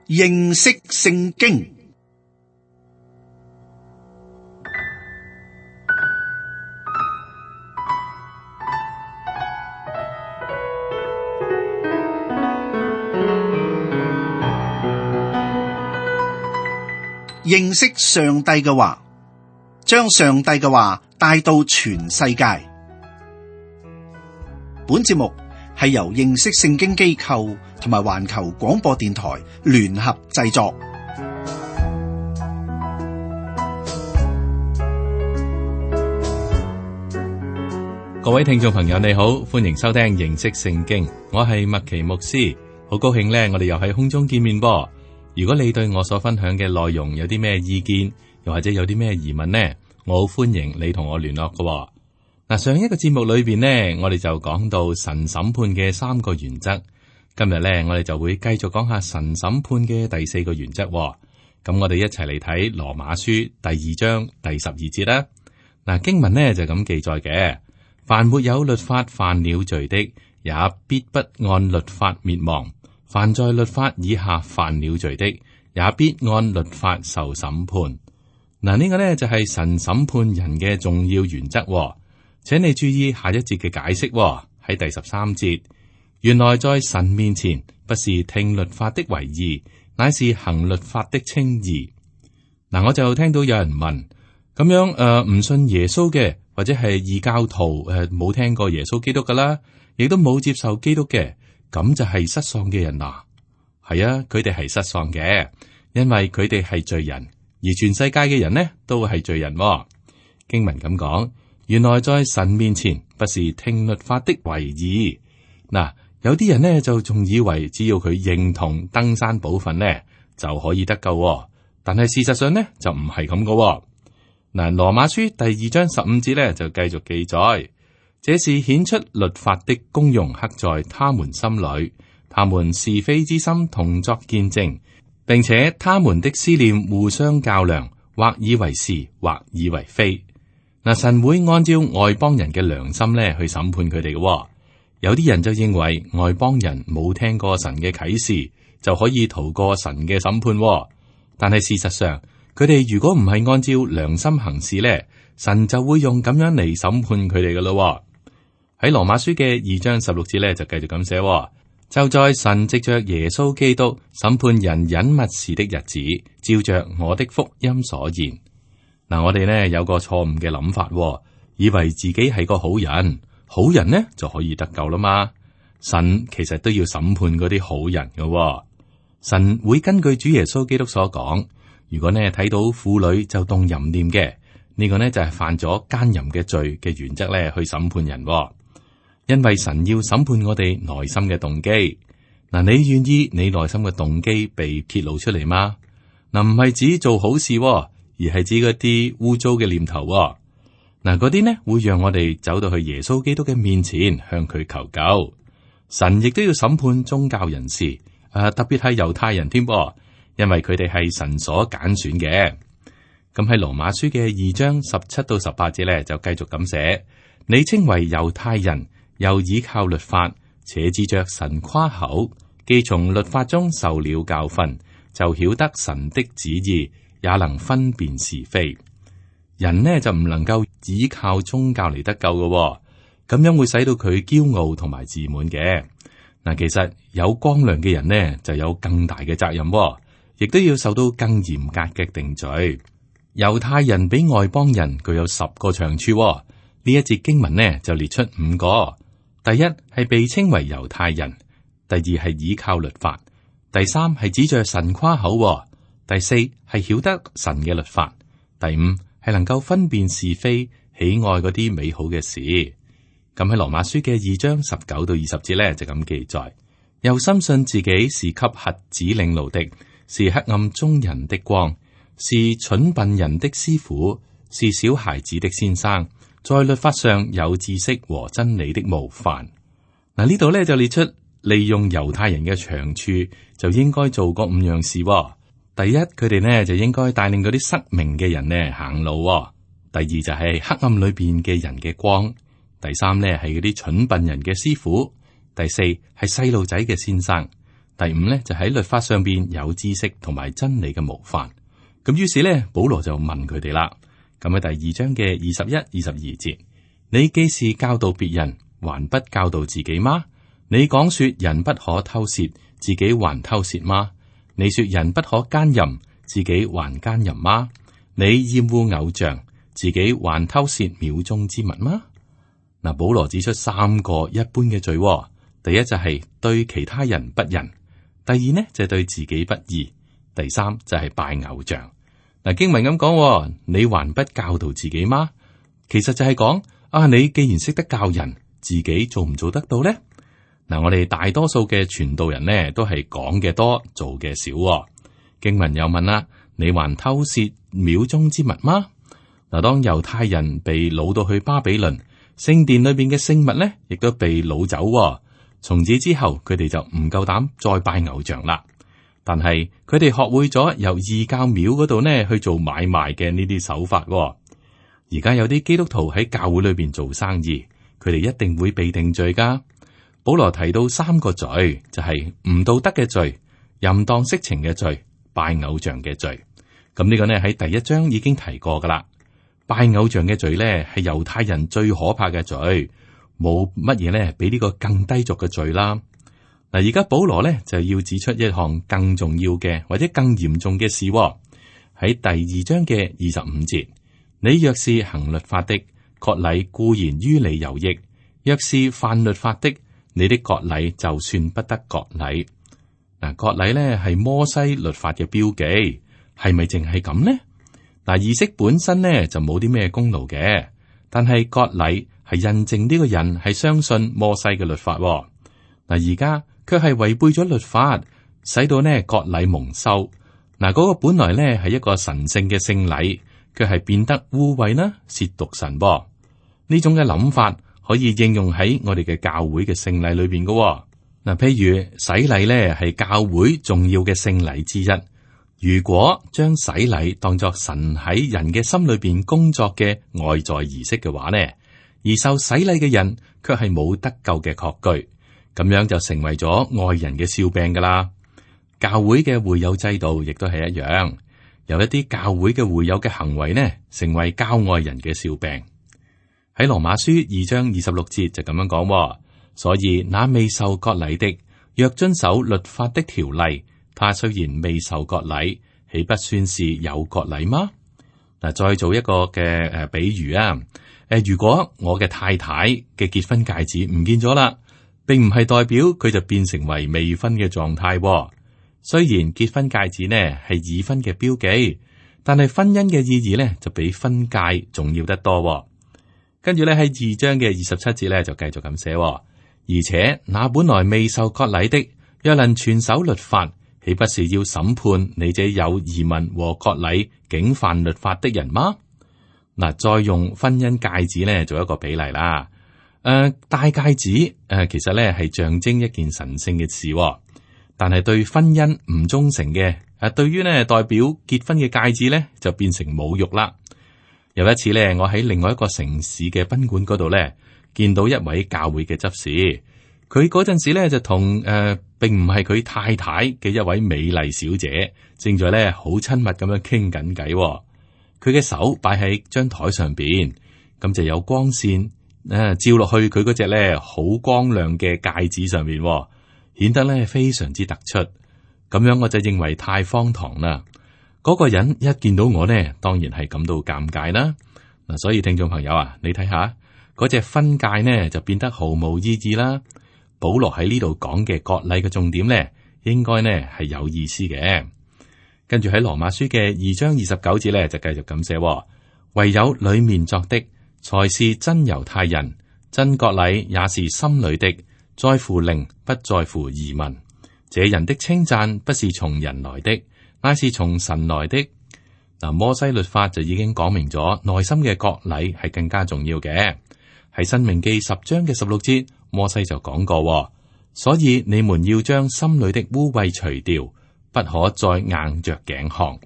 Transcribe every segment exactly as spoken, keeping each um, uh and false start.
認識聖經。認識上帝嘅話，將上帝嘅話帶到全世界。本節目係由認識聖經機構同埋環球廣播電台聯合製作。各位聽眾朋友，你好，歡迎收聽認識聖經。我係麥奇牧師，好高興呢，我哋又喺空中見面噃。如果你對我所分享嘅內容有啲咩意見，又或者有啲咩疑問呢，我好歡迎你同我聯絡嘅。嗱，上一個節目裏邊呢，我哋就講到神審判嘅三個原則。今日呢，我哋就會繼續講下神審判嘅第四個原則。咁我哋一齊嚟睇羅馬書第二章第十二節啦。嗱，經文呢就咁記載嘅：凡沒有律法犯了罪的，也必不按律法滅亡。凡在律法以下犯了罪的，也必按律法受審判。嗱，呢個呢就係神審判人嘅重要原則。請你注意下一節嘅解釋，喺第十三節，原來在神面前，不是聽律法的為義，乃是行律法的稱義。嗱，我就聽到有人問，咁樣誒唔、呃、信耶穌嘅，或者係異教徒誒冇、呃、聽過耶穌基督噶啦，亦都冇接受基督嘅。咁就係失喪嘅人啦，係啊，佢哋係失喪嘅，因為佢哋係罪人，而全世界嘅人呢都係罪人。經文咁講，原來在神面前，不是聽律法的為義。嗱，有啲人呢就仲以為只要佢認同登山寶訓呢就可以得救，但係事實上呢就唔係咁噶。嗱，羅馬書第二章十五節呢就繼續記載。這是顯出律法的功用刻在他們心裏，他們是非之心同作見證，並且他們的思念互相較量，或以為是，或以為非。嗱，神會按照外邦人嘅良心咧去審判佢哋嘅。有啲人就認為外邦人冇聽過神嘅啟示，就可以逃過神嘅審判。但係事實上，佢哋如果唔係按照良心行事咧，神就會用咁樣嚟審判佢哋嘅咯。喺羅馬書嘅二章十六節咧，就繼續咁寫：就在神藉着耶穌基督審判人隱密事的日子，照着我的福音所言。嗱，我哋呢有個錯誤嘅諗法，以為自己係個好人，好人呢就可以得救啦嘛。神其實都要審判嗰啲好人嘅。神會根據主耶穌基督所講，如果呢睇到婦女就動淫念嘅，呢個呢就係犯咗奸淫嘅罪嘅原則咧，去審判人。因為神要審判我哋內心嘅動機，嗱，你願意你內心嘅動機被揭露出嚟嗎？嗱，唔係指做好事，而係指嗰啲污糟嘅念頭。嗱，嗰啲呢會讓我哋走到去耶穌基督嘅面前，向佢求救。神亦都要審判宗教人士，誒、啊，特別係猶太人添，因為佢哋係神所揀選嘅。咁喺羅馬書嘅二章十七到十八節咧，就繼續咁寫：你稱為猶太人，又倚靠律法，且指着神誇口，既從律法中受了教訓，就曉得神的旨意，也能分辨是非。人呢就唔能夠倚靠宗教嚟得救嘅，咁樣會使到佢驕傲同埋自滿嘅。嗱，其實有光亮嘅人呢就有更大嘅責任，亦都要受到更嚴格嘅定罪。猶太人比外邦人具有十個長處，呢一節經文呢就列出五個。第一係被稱為猶太人，第二係倚靠律法，第三係指着神誇口，第四係曉得神嘅律法，第五係能夠分辨是非，喜愛嗰啲美好嘅事。咁喺羅馬書嘅二章十九到二十節咧就咁記載，又深信自己是給瞎子領路的，是黑暗中人的光，是蠢笨人的師傅，是小孩子的先生，在律法上有知識和真理的模範。嗱，呢度咧就列出利用猶太人嘅長處，就應該做嗰五樣事。第一，佢哋呢就應該帶領嗰啲失明嘅人呢行路。第二就係黑暗裏邊嘅人嘅光。第三呢係嗰啲蠢笨人嘅師傅。第四係細路仔嘅先生。第五咧就喺律法上邊有知識同埋真理嘅模範。咁於是咧，保羅就問佢哋啦。咁喺第二章嘅二十一、二十二節，你既是教導別人，還不教導自己嗎？你講說人不可偷竊，自己還偷竊嗎？你說人不可奸淫，自己還奸淫嗎？你厭惡偶像，自己還偷竊廟中之物嗎？嗱，保羅指出三個一般嘅罪。第一就係對其他人不仁，第二呢就係對自己不義，第三就係拜偶像。嗱，經文咁講，你還不教導自己嗎？其實就係講啊，你既然識得教人，自己做唔做得到呢？嗱，我哋大多數嘅傳道人呢，都係講嘅多，做嘅少。經文又問啦，你還偷竊廟中之物嗎？嗱，當猶太人被擄到去巴比倫，聖殿裏邊嘅聖物呢，亦都被擄走。從此之後，佢哋就唔夠膽再拜偶像啦。但係佢哋學會咗由異教廟嗰度呢去做買賣嘅呢啲手法。而家有啲基督徒喺教會裏邊做生意，佢哋一定會被定罪噶。保羅提到三個罪，就係唔道德嘅罪、淫蕩色情嘅罪、拜偶像嘅罪。咁呢個呢喺第一章已經提過噶啦。拜偶像嘅罪呢係猶太人最可怕嘅罪。冇乜嘢咧，比呢個更低俗嘅罪啦。嗱，而家保羅咧就要指出一項更重要嘅或者更嚴重嘅事。喺第二章嘅二十五節，你若是行律法的，割禮固然於你有益；若是犯律法的，你的割禮就算不得割禮。嗱，割禮咧係摩西律法嘅標記，係咪淨係咁呢？嗱，儀式本身咧就冇啲咩功勞嘅，但係割禮係印證呢個人係相信摩西嘅律法。嗱，而家卻係違背咗律法，使到呢割禮蒙羞。嗱，嗰個本來呢係一個神聖嘅聖禮，卻係變得污穢啦，褻瀆神噃。呢種嘅諗法可以應用喺我哋嘅教會嘅聖禮裏邊嘅。嗱，譬如洗禮呢係教會重要嘅聖禮之一。如果將洗禮當作神喺人嘅心裏邊工作嘅外在儀式嘅話呢，而受洗禮嘅人卻係冇得救嘅確據，咁樣就成為咗外人嘅笑柄噶啦。教會嘅會友制度亦都係一樣，由一啲教會嘅會友嘅行為呢，成為教外人嘅笑柄。喺羅馬書二章二十六節就咁樣講，所以那未受割禮的，若遵守律法的條例，他雖然未受割禮，豈不算是有割禮嗎？嗱，再做一個嘅誒比喻啊。誒，如果我嘅太太嘅結婚戒指唔見咗啦，並唔係代表佢就變成為未婚嘅狀態。雖然結婚戒指呢係已婚嘅標記，但係婚姻嘅意義呢就比婚戒重要得多。跟住咧喺二章嘅二十七節咧就繼續咁寫，而且那本來未受割禮的，若能全守律法，豈不是要審判你這有儀文和割禮竟犯律法的人嗎？嗱，再用婚姻戒指咧做一個比例啦。誒、呃，戴戒指誒、呃，其實咧係象徵一件神聖嘅事，但係對婚姻唔忠誠嘅，誒、呃，對於呢代表結婚嘅戒指咧就變成侮辱啦。有一次咧，我喺另外一個城市嘅賓館嗰度咧，見到一位教會嘅執事，佢嗰陣時咧就同誒、呃，並唔係佢太太嘅一位美麗小姐，正在咧好親密咁樣傾緊偈。佢嘅手擺喺張台上邊，咁就有光線誒、啊、照落去佢嗰隻咧好光亮嘅戒指上面，顯得咧非常之突出。咁樣我就認為太荒唐啦。嗰、那個人一見到我呢，當然係感到尷尬啦。嗱，所以聽眾朋友啊，你睇下嗰隻婚戒呢，就變得毫無意義啦。保羅喺呢度講嘅割禮嘅重點呢，應該呢係有意思嘅。跟住喺羅馬書嘅二章二十九節咧，就繼續咁寫：唯有裏面作的，才是真猶太人；真割禮也是心裏的，在乎靈，不在乎儀文。這人的稱讚不是從人來的，乃是從神來的。嗱，摩西律法就已經講明咗，內心嘅割禮係更加重要嘅。喺申命記十章嘅十六節，摩西就講過：所以你們要將心裏的污穢除掉。不可再硬着頸項。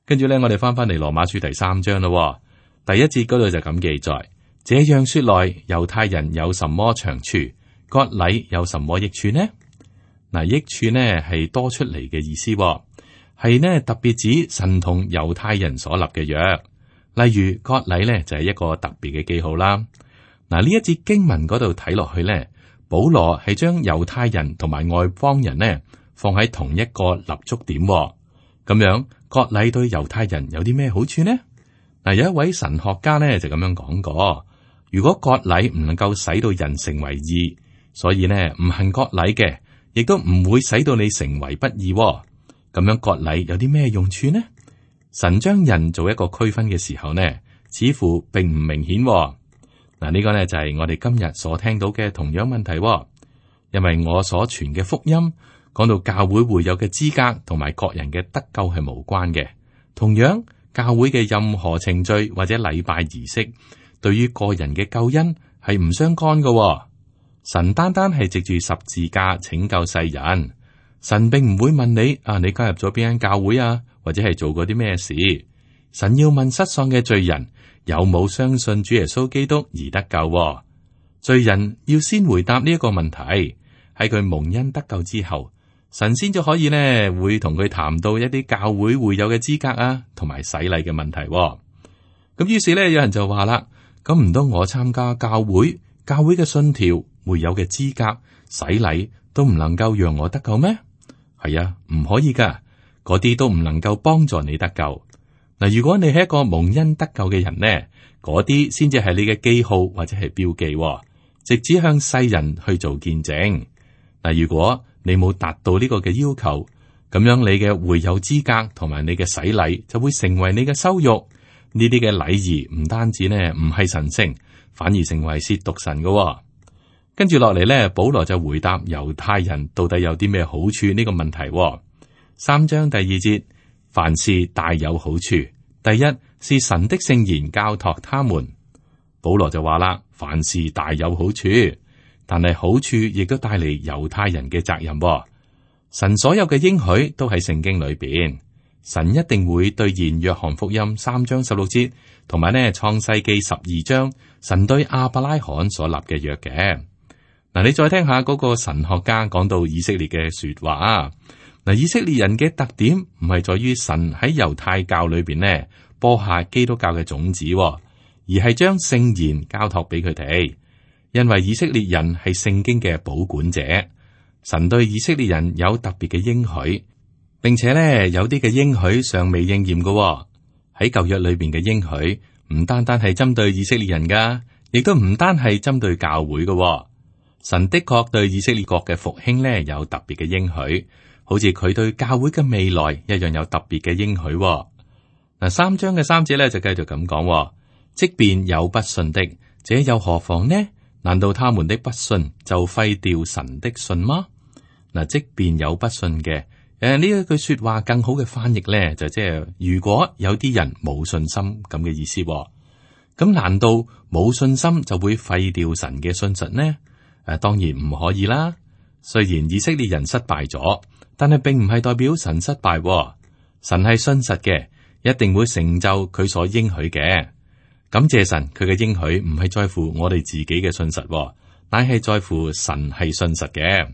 跟住咧，我哋翻翻嚟羅馬書第三章咯。第一節嗰度就咁記載：這樣說來，猶太人有什麼長處？割禮有什麼益處呢？嗱，益處呢係多出嚟嘅意思，係呢特別指神同猶太人所立嘅約。例如割禮呢就係一個特別嘅記號啦。嗱，呢一節經文嗰度睇落去呢，保羅係將猶太人同埋外邦人呢放喺同一個立足點，咁樣割禮對猶太人有啲咩好處呢？嗱，有一位神學家呢就咁樣講過：如果割禮唔能夠使到人成為義，所以呢唔行割禮嘅，亦都唔會使到你成為不義。咁樣割禮有啲咩用處呢？神將人做一個區分嘅時候呢，似乎並唔明顯。嗱，呢個呢就係我哋今日所聽到嘅同樣問題。因為我所傳嘅福音講到教會會有嘅資格同埋各人嘅得救係無關嘅。同樣，教會嘅任何程序或者禮拜儀式，對於個人嘅救恩係唔相干嘅。神單單係藉住十字架拯救世人。神並唔會問你啊，你加入咗邊間教會啊，或者係做過啲咩事。神要問失喪嘅罪人有冇相信主耶穌基督而得救。罪人要先回答呢一個問題，喺佢蒙恩得救之後，神先就可以呢會同佢談到一啲教會會有嘅資格啊，同埋洗禮嘅問題。咁於是呢，有人就話啦，咁唔通我參加教會，教會嘅信條會有嘅資格洗禮都唔能夠讓我得救咩？係啊，唔可以噶，嗰啲都唔能夠幫助你得救。嗱，如果你係一個蒙恩得救嘅人呢，嗰啲先至係你嘅記號或者係標記，直指向世人去做見證。嗱，如果你冇達到呢個嘅要求，咁樣你嘅會友資格同埋你嘅洗禮就會成為你嘅羞辱。呢啲嘅禮儀唔單止呢唔係神聖，反而成為褻瀆神嘅。跟住落嚟呢，保羅就回答猶太人到底有啲咩好處呢個問題。三章第二節，凡事大有好處。第一是神的聖言交託他們。保羅就話啦，凡事大有好處，但係好處亦都帶嚟猶太人嘅責任。神所有嘅應許都喺聖經裏邊，神一定會兌現約翰福音三章十六節，同埋呢創世記十二章神對亞伯拉罕所立嘅約嘅。嗱，你再聽下嗰個神學家講到以色列嘅說話啊。嗱，以色列人嘅特點唔係在於神喺猶太教裏邊呢播下基督教嘅種子，而係將聖言交託俾佢哋。因為以色列人係聖經嘅保管者，神對以色列人有特別嘅應許，並且呢有啲嘅應許尚未應驗嘅。喺舊約裏邊嘅應許唔單單係針對以色列人噶，亦都唔單係針對教會嘅。神的確對以色列國嘅復興呢有特別嘅應許，好似佢對教會嘅未來一樣有特別嘅應許。嗱，三章嘅三節咧就繼續咁講，即便有不信的，這又何妨呢？難道他們的不信就廢掉神的信嗎？嗱，即便有不信嘅，誒呢一句說話更好嘅翻譯咧就即係如果有啲人冇信心咁嘅意思，咁難道冇信心就會廢掉神嘅信實呢？誒，當然唔可以啦。雖然以色列人失敗咗，但係並唔係代表神失敗。神係信實嘅，一定會成就佢所應許嘅。感謝神，佢嘅應許唔係在乎我哋自己嘅信實，乃係在乎神係信實嘅。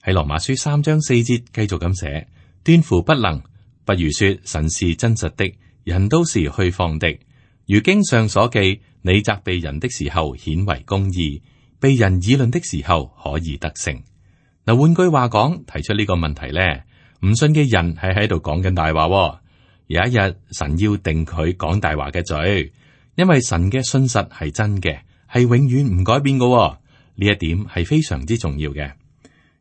喺羅馬書三章四節繼續咁寫，斷乎不能，不如說神是真實的，人都是虛謊的。如經上所記，你責備人的時候顯為公義，被人議論的時候可以得勝。嗱，換句話講，提出呢個問題咧，唔信嘅人係喺度講緊大話。有一日神要定佢講大話嘅罪，因為神嘅信實係真嘅，係永遠唔改變嘅。呢一點係非常之重要嘅。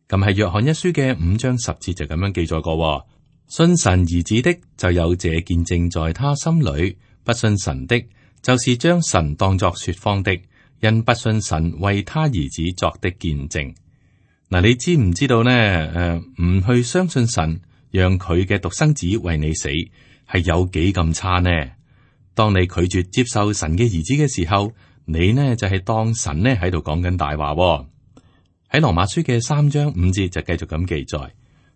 咁係約翰一書嘅五章十節就咁樣記載過，信神兒子的就有這見證在他心裏，不信神的，就是將神當作說謊的，因不信神為他兒子作的見證。嗱，你知唔知道呢？誒，唔去相信神，讓佢嘅獨生子為你死，係有幾咁差呢？當你拒絕接受神嘅兒子嘅時候，你呢就係當神呢喺度講緊大話。喺羅馬書嘅三章五節就繼續咁記載，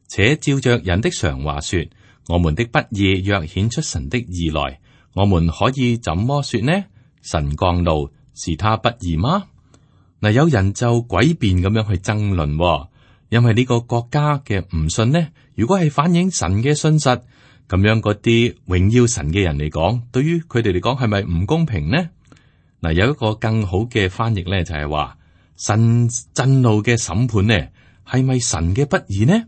且照着人的常話說，我們的不義若顯出神的義來，我們可以怎麼說呢？神降怒是他不義嗎？嗱，有人就詭辯咁樣去爭論，因為呢個國家嘅唔信呢，如果係反映神嘅信實，咁樣嗰啲榮耀神嘅人嚟講，對於佢哋嚟講係咪唔公平呢？嗱，有一個更好嘅翻譯咧，就係話神震怒嘅審判呢，係咪神嘅不義呢？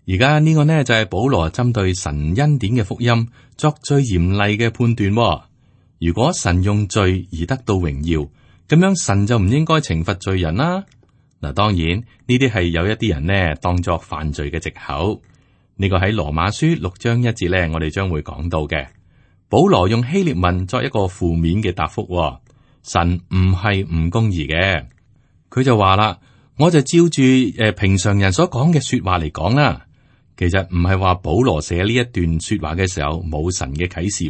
而家呢個呢就係保羅針對神恩典嘅福音作最嚴厲嘅判斷。如果神用罪而得到榮耀，咁樣神就唔應該懲罰罪人啦。嗱，當然呢啲係有一啲人呢當作犯罪嘅藉口。呢個喺羅馬書六章一節呢，我哋將會講到嘅。保羅用希臘文作一個負面嘅答覆，神唔係唔公義嘅。佢就話啦，我就照住誒平常人所講嘅說話嚟講啦。其實唔係話保羅寫呢一段說話嘅時候冇神嘅啟示，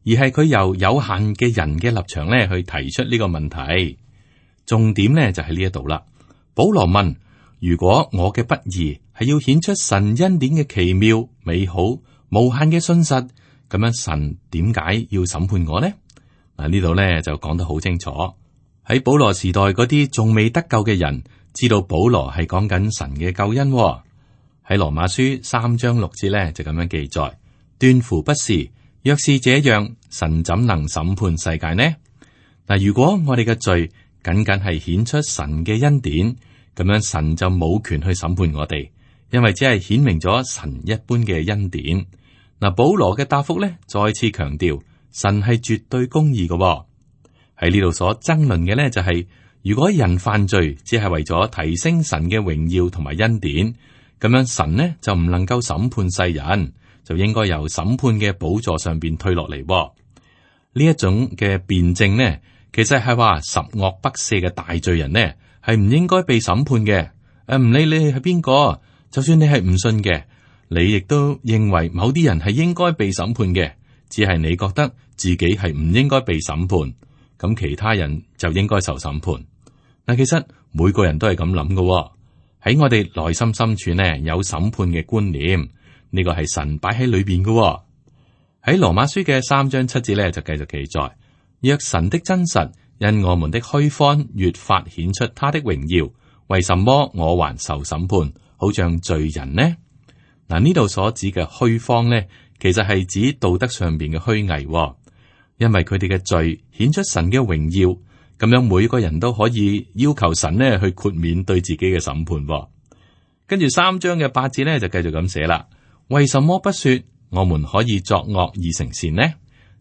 而係佢由有限嘅人嘅立場咧去提出呢個問題。重點咧就喺呢一度啦。保羅問：如果我嘅不義係要顯出神恩典嘅奇妙、美好、無限嘅信實，咁樣神點解要審判我呢？嗱，呢度咧就講得好清楚。喺保羅時代嗰啲仲未得救嘅人，知道保羅係講緊神嘅救恩。喺羅馬書三章六節咧就咁樣記載：斷乎不是，若是這樣，神怎能審判世界呢？嗱，如果我哋嘅罪僅僅係顯出神嘅恩典，咁樣神就冇權去審判我哋，因為只係顯明咗神一般嘅恩典。嗱，保羅嘅答覆咧再次強調，神係絕對公義嘅。喺呢度所爭論嘅咧就係、是，如果人犯罪只係為咗提升神嘅榮耀同埋恩典，咁樣神呢就唔能夠審判世人，就應該由審判嘅寶座上邊退落嚟。呢一種嘅辯證呢，其實係話十惡不赦嘅大罪人呢係唔應該被審判嘅。誒，唔理你係邊個，就算你係唔信嘅，你亦都認為某啲人係應該被審判嘅，只係你覺得自己係唔應該被審判，咁其他人就應該受審判。嗱，其實每個人都係咁諗嘅。喺我哋內心深處呢，有審判嘅觀念，呢個係神擺喺裏邊嘅。喺羅馬書嘅三章七節咧，就繼續記載：若神的真實因我們的虛謊越發顯出他的榮耀，為什麼我還受審判，好像罪人呢？嗱，呢度所指嘅虛謊呢，其實係指道德上邊嘅虛偽，因為佢哋嘅罪顯出神嘅榮耀。咁樣每個人都可以要求神呢去豁免對自己嘅審判。跟住三章嘅八節呢就繼續咁寫啦：為什麼不說我們可以作惡而成善呢？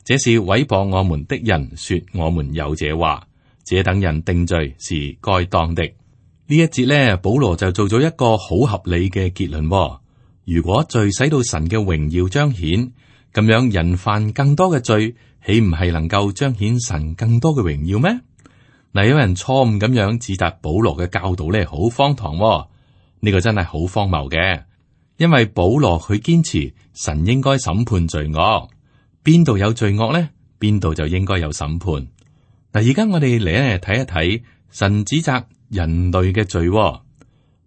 這是毀謗我們的人說我們有這話，這等人定罪是該當的。呢一節呢，保羅就做咗一個好合理嘅結論。如果罪使到神嘅榮耀彰顯，咁樣人犯更多嘅罪，豈唔係能夠彰顯神更多嘅榮耀咩？嗱，有人錯誤咁樣指責保羅嘅教導咧，好荒唐。呢個真係好荒謬嘅，因為保羅佢堅持神應該審判罪惡，邊度有罪惡咧，邊度就應該有審判。嗱，而家我哋嚟咧睇一睇神指責人類嘅罪。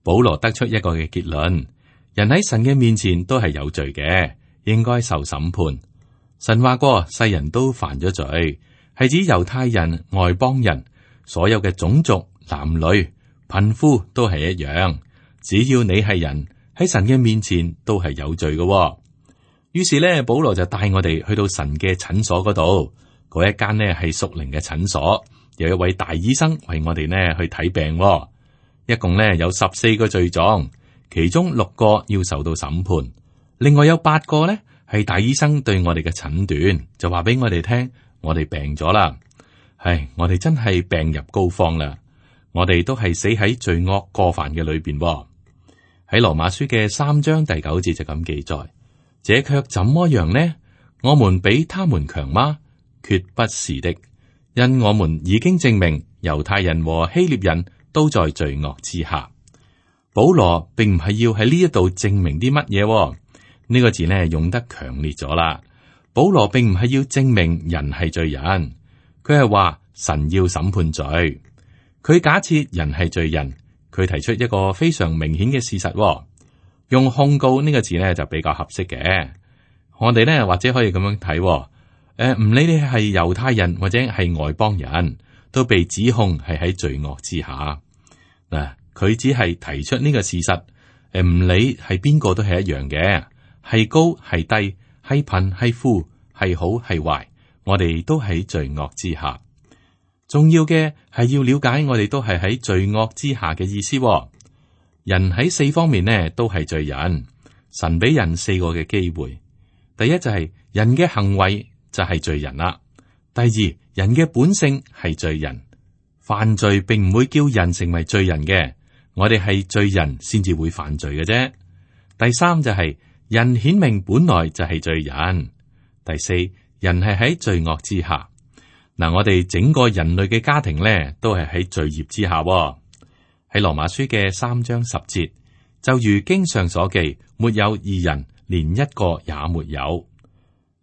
保羅得出一個嘅結論：人喺神嘅面前都係有罪嘅，應該受審判。神話過世人都犯咗罪，係指猶太人、外邦人。所有嘅種族、男女、貧富都係一樣，只要你係人，喺神嘅面前都係有罪嘅。於是咧，保羅就帶我哋去到神嘅診所嗰度，嗰一間呢係屬靈嘅診所，有一位大醫生為我哋呢去睇病。一共呢有十四個罪狀，其中六個要受到審判，另外有八個呢係大醫生對我哋嘅診斷，就話俾我哋聽，我哋病咗啦。唉，我哋真係病入膏肓啦！我哋都係死喺罪惡過犯嘅裏邊。喺羅馬書嘅三章第九節就咁記載：這卻怎麼樣呢？我們比他們強嗎？決不是的，因我們已經證明猶太人和希臘人都在罪惡之下。保羅並唔係要喺呢一度證明啲乜嘢，呢個字呢用得強烈咗啦。保羅並唔係要證明人係罪人。佢係話神要審判罪，佢假設人係罪人，佢提出一個非常明顯嘅事實，用控告呢個字咧就比較合適嘅。我哋咧或者可以咁樣睇，誒、呃，唔理你係猶太人或者係外邦人，都被指控係喺罪惡之下。嗱，佢只係提出呢個事實，誒，唔理係邊個都係一樣嘅，係高係低，係貧係富，係好係壞，我哋都喺罪惡之下。重要嘅係要了解我哋都係喺罪惡之下嘅意思。人喺四方面呢都係罪人，神俾人四個嘅機會。第一就係人嘅行為就係罪人啦。第二，人嘅本性係罪人，犯罪並唔會叫人成為罪人嘅，我哋係罪人先至會犯罪嘅啫。第三就係人顯明本來就係罪人。第四，人係喺罪惡之下。嗱，我哋整個人類嘅家庭咧，都係喺罪孽之下。喺羅馬書嘅三章十節，就如經上所記，沒有義人，連一個也沒有。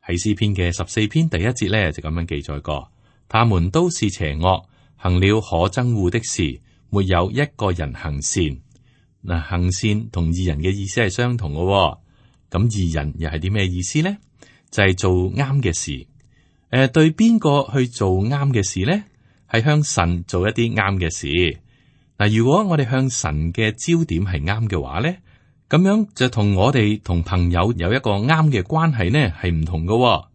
喺詩篇嘅十四篇第一節咧，就咁樣記載過，他們都是邪惡，行了可憎惡的事，沒有一個人行善。嗱，行善同義人嘅意思係相同嘅。咁義人又係啲咩意思呢？就係、是、做啱嘅事。誒、呃，對邊個去做啱嘅事呢？係向神做一啲啱嘅事。嗱，如果我哋向神嘅焦點係啱嘅話咧，咁樣就同我哋同朋友有一個啱嘅關係呢，係唔同嘅。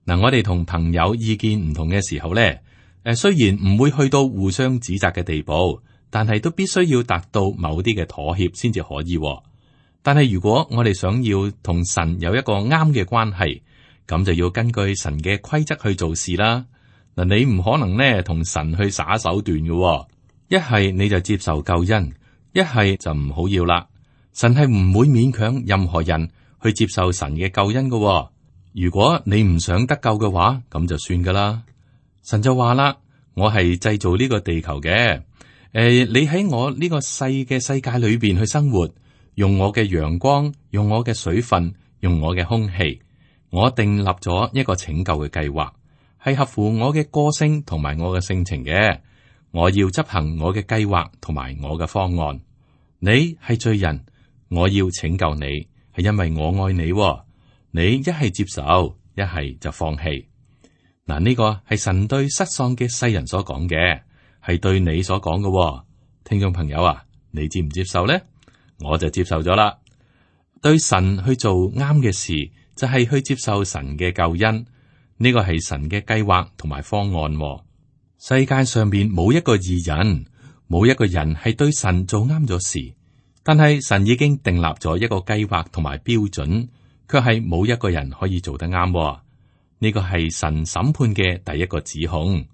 嗱，我哋同朋友意見唔同嘅時候咧，誒，雖然唔會去到互相指責嘅地步，但係都必須要達到某啲嘅妥協先至可以。但係如果我哋想要同神有一個啱嘅關係，咁就要根據神嘅規則去做事啦。嗱，你唔可能呢同神去耍手段嘅。一係你就接受救恩，一係就唔好要啦。神係唔會勉強任何人去接受神嘅救恩嘅。如果你唔想得救嘅話，咁就算噶啦。神就話啦，我係製造呢個地球嘅，誒、呃，你喺我呢個細嘅世界裏邊去生活，用我嘅陽光，用我嘅水分，用我嘅空氣，我訂立咗一個拯救嘅計劃，係合乎我嘅個性同埋我嘅性情嘅。我要執行我嘅計劃同埋我嘅方案。你係罪人，我要拯救你，係因為我愛你。你一係接受，一係就放棄。嗱，呢個係神對失喪嘅世人所講嘅，係對你所講嘅。聽眾朋友啊，你接唔接受呢？我就接受咗啦。對神去做啱嘅事，就係去接受神嘅救恩。呢個係神嘅計劃同埋方案。世界上邊冇一個義人，冇一個人係對神做啱咗事，但係神已經訂立咗一個計劃同埋標準，卻係冇一個人可以做得啱。呢個係神審判嘅第一個指控，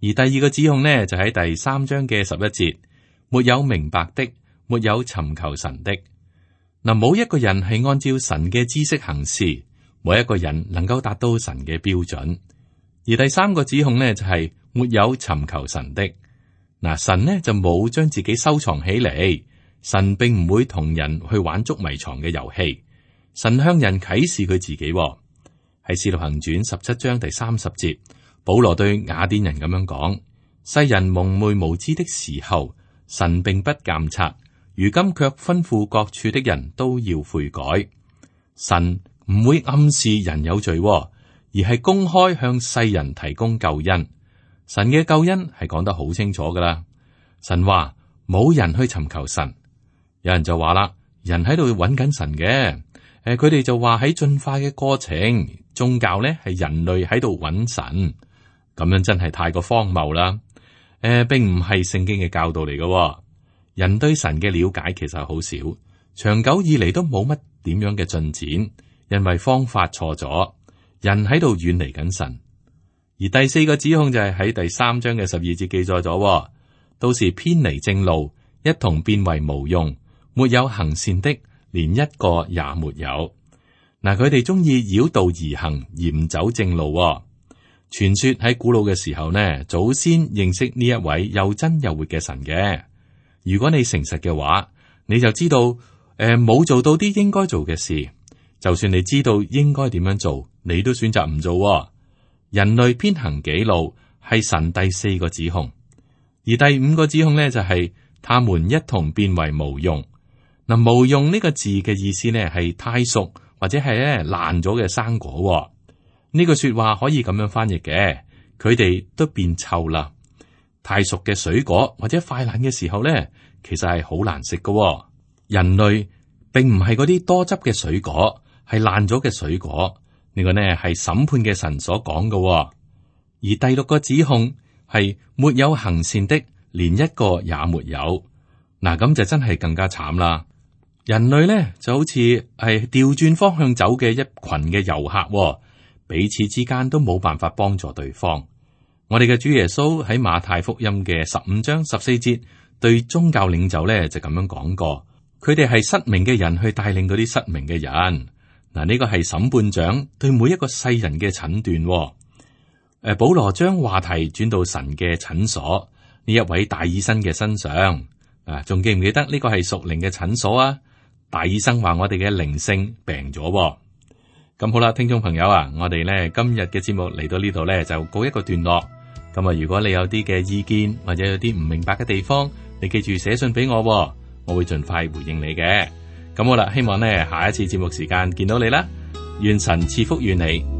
而第二個指控呢，就喺第三章嘅十一節，沒有明白的，沒有尋求神的。嗱，冇一個人係按照神嘅知識行事，冇一個人能夠達到神嘅標準。而第三個指控呢，就係、是。沒有尋求神的。嗱，神呢就冇將自己收藏起嚟，神並唔會同人去玩捉迷藏嘅遊戲。神向人啟示佢自己。喺使徒行傳十七章第三十節，保羅對雅典人咁樣講：世人蒙昧無知的時候，神並不監察，如今卻吩咐各處的人都要悔改。神唔會暗示人有罪，而係公開向世人提供救恩。神嘅救恩係講得好清楚噶啦。神話冇人去尋求神，有人就話啦，人喺度揾緊神嘅。誒，佢哋就話喺進化嘅過程，宗教咧係人類喺度揾神，咁樣真係太過荒謬啦。誒、呃，並唔係聖經嘅教導嚟嘅。人對神嘅了解其實好少，長久以嚟都冇乜點樣嘅進展，因為方法錯咗，人喺度遠離緊神。而第四個指控就係喺第三章嘅十二節記載咗，都是偏離正路，一同變為無用，沒有行善的，連一個也沒有。嗱，佢哋中意繞道而行，而唔走正路。傳說喺古老嘅時候呢，祖先認識呢一位又真又活嘅神嘅。如果你誠實嘅話，你就知道，誒、呃，冇做到啲應該做嘅事。就算你知道應該點樣做，你都選擇唔做。人類偏行己路係神第四個指控，而第五個指控呢，就係、是、他們一同變為無用。嗱，無用呢個字嘅意思呢，係太熟或者係咧爛咗嘅生果。呢句說話可以咁樣翻譯嘅，佢哋都變臭啦。太熟嘅水果或者快爛嘅時候呢，其實係好難食㗎。人類並唔係嗰啲多汁嘅水果，係爛咗嘅水果。呢個呢係審判嘅神所講嘅。而第六個指控係沒有行善的，連一個也沒有。嗱，咁就真係更加慘啦。人類呢就好似係調轉方向走嘅一群嘅遊客，彼此之間都冇辦法幫助對方。我哋嘅主耶穌喺馬太福音嘅十五章十四節對宗教領袖呢就咁樣講過，佢哋係失明嘅人去帶領嗰啲失明嘅人。嗱，呢個係審判長對每一個世人嘅診斷。誒，保羅將話題轉到神嘅診所呢一位大醫生嘅身上。啊，仲記唔記得呢個係屬靈嘅診所啊？大醫生話我哋嘅靈性病咗。咁好啦，聽眾朋友啊，我哋咧今日嘅節目嚟到呢度咧就告一個段落。咁啊，如果你有啲嘅意見或者有啲唔明白嘅地方，你記住寫信俾我，我會盡快回應你嘅。咁好啦，希望呢下一次節目時間見到你啦。願神賜福於你。